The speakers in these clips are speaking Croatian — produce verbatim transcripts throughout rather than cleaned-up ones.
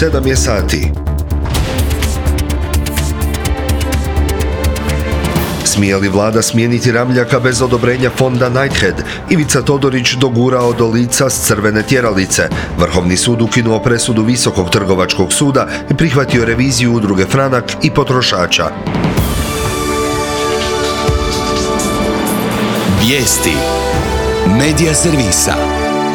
sedam je sati. Smije li vlada smijeniti Ramljaka bez odobrenja fonda Knighthead? Ivica Todorić dogurao do lica s crvene tjeralice. Vrhovni sud ukinuo presudu Visokog trgovačkog suda i prihvatio reviziju udruge Franak i potrošača. Vijesti Medija servisa.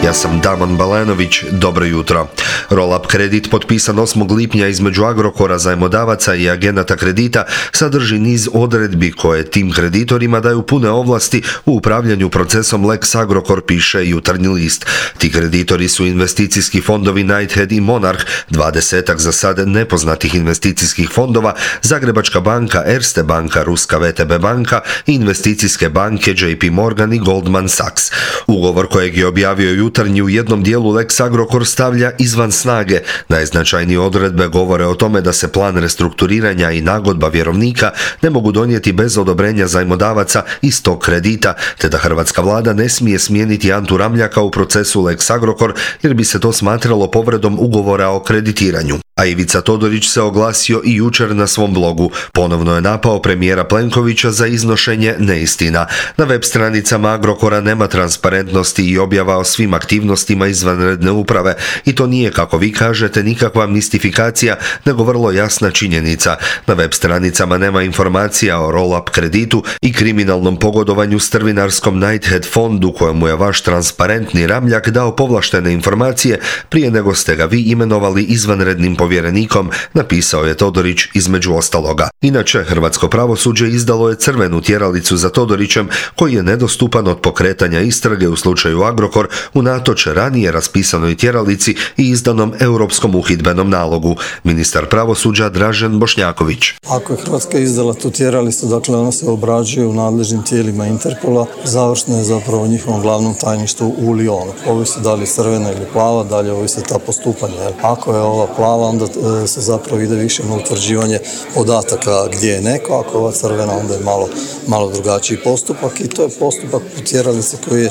Ja sam Damon Balanović, dobro jutro. Roll-up kredit potpisan osmog lipnja između Agrokora, zajmodavaca i agenata kredita sadrži niz odredbi koje tim kreditorima daju pune ovlasti u upravljanju procesom Lex Agrokor, piše Jutarnji list. Ti kreditori su investicijski fondovi Knighthead i Monarch, dvadesetak za sad nepoznatih investicijskih fondova, Zagrebačka banka, Erste banka, Ruska V T B banka i investicijske banke J P Morgan i Goldman Sachs. Ugovor kojeg je objavio Jutarnji u jednom dijelu Lex Agrokor stavlja izvan snage. Najznačajnije odredbe govore o tome da se plan restrukturiranja i nagodba vjerovnika ne mogu donijeti bez odobrenja zajmodavaca iz tog kredita, te da hrvatska vlada ne smije smijeniti Antu Ramljaka u procesu Lex Agrokor jer bi se to smatralo povredom ugovora o kreditiranju. A Ivica Todorić se oglasio i jučer na svom blogu. Ponovno je napao premijera Plenkovića za iznošenje neistina. Na web stranicama Agrokora nema transparentnosti i objava o svim aktivnostima izvanredne uprave i to nije, kako vi kažete, nikakva mistifikacija, nego vrlo jasna činjenica. Na web stranicama nema informacija o roll-up kreditu i kriminalnom pogodovanju strvinarskom Knighthead fondu kojemu je vaš transparentni Ramljak dao povlaštene informacije prije nego ste ga vi imenovali izvanrednim povjerenikom, napisao je Todorić između ostaloga. Inače, hrvatsko pravosuđe izdalo je crvenu tjeralicu za Todorićem, koji je nedostupan od pokretanja istrage u slučaju Agrokor unatoč ranije raspisanoj tjeralici i izdanom europskom uhidbenom nalogu. Ministar pravosuđa Dražen Bošnjaković. Ako je Hrvatska izdala tu tjeralicu, dakle ona se obrađuje u nadležnim tijelima Interpola, završno je zapravo u njihovom glavnom tajništvu u Lyonu. Ovisi da li je crvena ili plava, dalje ovisi ta postupanja. Ako je ova plava, onda se zapravo ide više na utvrđivanje podataka gdje je neko, ako je ova crvena, onda je malo, malo drugačiji postupak i to je postupak u tjeralici koji je,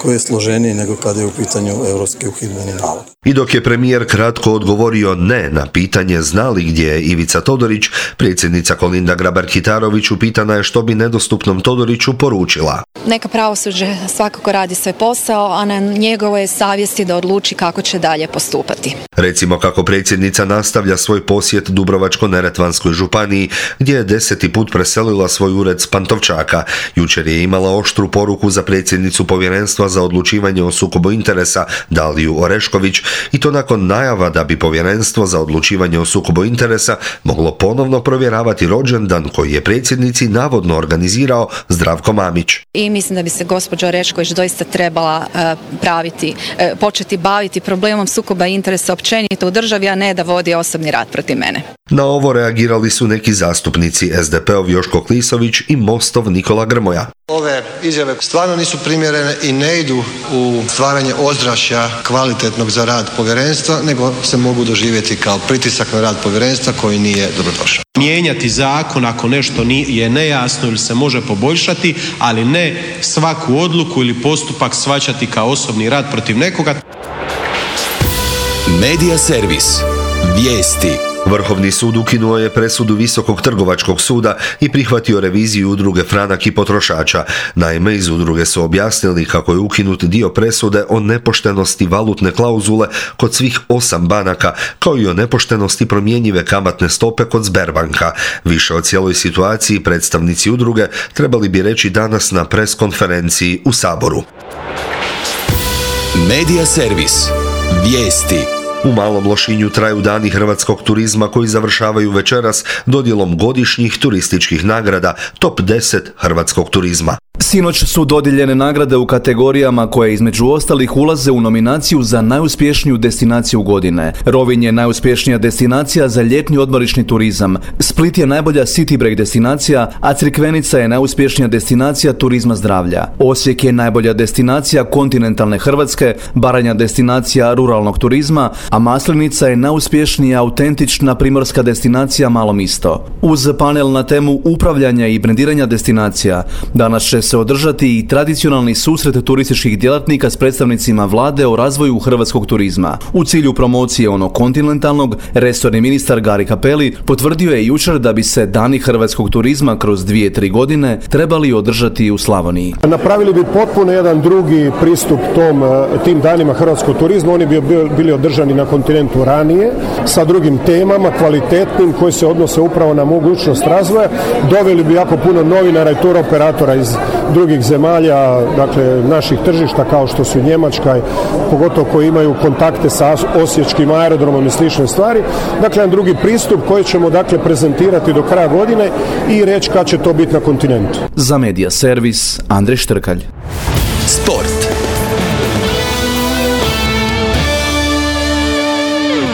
koji je složeniji nego kada je u pitanju europski uhidbeni nalog. I dok je premijer kratko odgovorio ne na pitanje zna li gdje je Ivica Todorić, predsjednica Kolinda Grabar-Kitarović upitana je što bi nedostupnom Todoriću poručila. Neka pravosuđe svakako radi svoj posao, a na njegovoj je savjesti da odluči kako će dalje postupati. Recimo kako predsjednica nastavlja svoj posjet Dubrovačko-neretvanskoj županiji, gdje je deseti put preselila svoj ured s Pantovčaka. Jučer je imala oštru poruku za predsjednicu Povjerenstva za odlučivanje o sukobu interesa Daliju Orešković, i to nakon najava da bi Povjerenstvo za odlučivanje o sukobu interesa moglo ponovno provjeravati rođendan koji je predsjednici navodno organizirao Zdravko Mamić. I mislim da bi se gospođa Orešković doista trebala uh, praviti, uh, početi baviti problemom sukoba interesa općenito u državi, a ne da vodi osobni rat protiv mene. Na ovo reagirali su neki zastupnici, S D P-ov Joško Klisović i Mostov Nikola Grmoja. Ove izjave stvarno nisu primjerene i ne idu u stvaranje ozračja kvalitetnog za rad povjerenstva, nego se mogu doživjeti kao pritisak na rad povjerenstva koji nije dobrodošao. Mijenjati zakon ako nešto je nejasno ili se može poboljšati, ali ne svaku odluku ili postupak shvaćati kao osobni rad protiv nekoga. Medija servis. Vijesti. Vrhovni sud ukinuo je presudu Visokog trgovačkog suda i prihvatio reviziju udruge Franak i potrošača. Naime, iz udruge su objasnili kako je ukinut dio presude o nepoštenosti valutne klauzule kod svih osam banaka, kao i o nepoštenosti promjenjive kamatne stope kod Sberbanka. Više o cijeloj situaciji predstavnici udruge trebali bi reći danas na pres konferenciji u Saboru. Medija servis. Vijesti. U Malom Lošinju traju dani hrvatskog turizma koji završavaju večeras dodjelom godišnjih turističkih nagrada Top deset hrvatskog turizma. Sinoć su dodijeljene nagrade u kategorijama koje između ostalih ulaze u nominaciju za najuspješniju destinaciju godine. Rovinj je najuspješnija destinacija za ljetni odmorišni turizam. Split je najbolja city break destinacija, a Crikvenica je najuspješnija destinacija turizma zdravlja. Osijek je najbolja destinacija kontinentalne Hrvatske, Baranja destinacija ruralnog turizma, a Maslenica je najuspješnija autentična primorska destinacija Malo Misto. Uz panel na temu upravljanja i brendiranja destinacija, danas će se održati i tradicionalni susret turističkih djelatnika s predstavnicima vlade o razvoju hrvatskog turizma. U cilju promocije onog kontinentalnog, resorni ministar Gari Cappelli potvrdio je jučer da bi se dani hrvatskog turizma kroz dvije, tri godine trebali održati u Slavoniji. Napravili bi potpuno jedan drugi pristup tom, tim danima hrvatskog turizma. Oni bi bili održani na kontinentu ranije, sa drugim temama, kvalitetnim, koji se odnose upravo na mogućnost razvoja. Doveli bi jako puno novinara i tur operatora iz drugih zemalja, dakle naših tržišta kao što su Njemačka, pogotovo koji imaju kontakte sa osječkim aerodromom i slične stvari. Dakle, jedan drugi pristup koji ćemo dakle prezentirati do kraja godine i reći kad će to biti na kontinentu. Za Medija servis Andrej Štrkalj. Sport.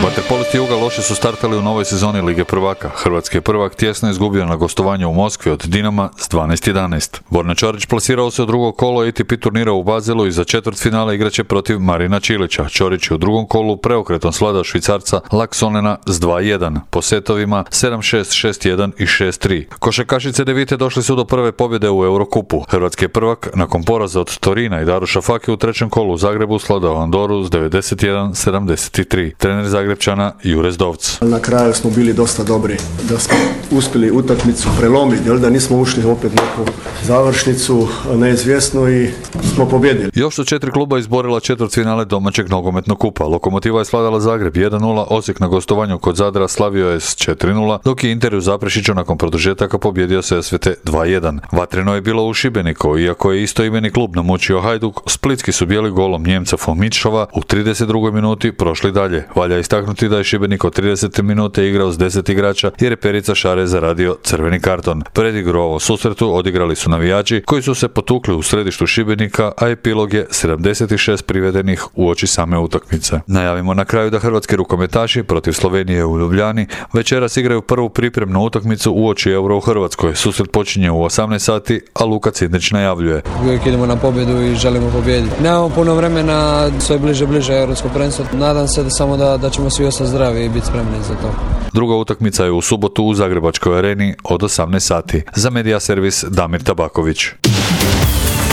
Vaterpolisti Juga loše su startali u novoj sezoni Lige prvaka. Hrvatski je prvak tjesno izgubio na gostovanju u Moskvi od Dinama s dvanaest jedanaest. Borna Čorić plasirao se u drugo kolo A T P turnira u Bazelu i za četvrtfinale igraće protiv Marina Čilića. Čorić je u drugom kolu preokretom svladao Švicarca Laksonena s dva jedan, po setovima sedam šest, šest jedan i šest tri. Košarkašice Devite došli su do prve pobjede u Eurokupu. Hrvatski je prvak nakon poraza od Torina i Daruša Fake u trećem kolu u Zagrebu svladao Andoru s devedeset jedan sedamdeset tri. Trener Zagrebčana Jure Zdovc. Na kraju smo bili dosta dobri, da smo uspjeli utakmicu prelomiti, jel da nismo ušli opet neku završnicu neizvjesnu i smo pobjedili. Još su četiri kluba izborila četvrtfinale domaćeg nogometnog kupa. Lokomotiva je svladala Zagreb jedan nula, Osijek na gostovanju kod Zadra slavio je s četiri nula, dok je Inter u Zaprešiću nakon produžetaka pobjedio se S V T dva jedan. Vatreno je bilo u Šibeniku, iako je istoimeni klub namučio Hajduk, splitski su bijeli golom Njemca Fomičova u trideset drugoj minuti prošli dalje. Valja istaknuti da je Šibenik od tridesete minute igrao s deset igrača jer je Perica Šare zaradio crveni karton. Predigru ovo susretu odigrali su navijači koji su se potukli u središtu Šibenika, a epilog je sedamdeset šest privedenih uoči same utakmice. Najavimo na kraju da hrvatski rukometaši protiv Slovenije u Ljubljani večeras igraju prvu pripremnu utakmicu uoči Euro u Hrvatskoj. Susret počinje u osamnaest sati, a Luka Cindrić najavljuje. Uvijek idemo na pobjedu i želimo pobijediti. Nemamo puno vremena, sve bliže bliže europsko prvenstvo. Nadam se da samo da, da ćemo svi ostati zdravi i biti spremni za to. Druga utakmica je u subotu u Zagrebačkoj areni od osamnaest sati. Za Medija servis Damir Tabaković.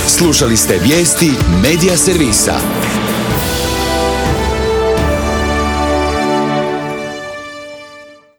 Slušali ste vijesti Medija servisa.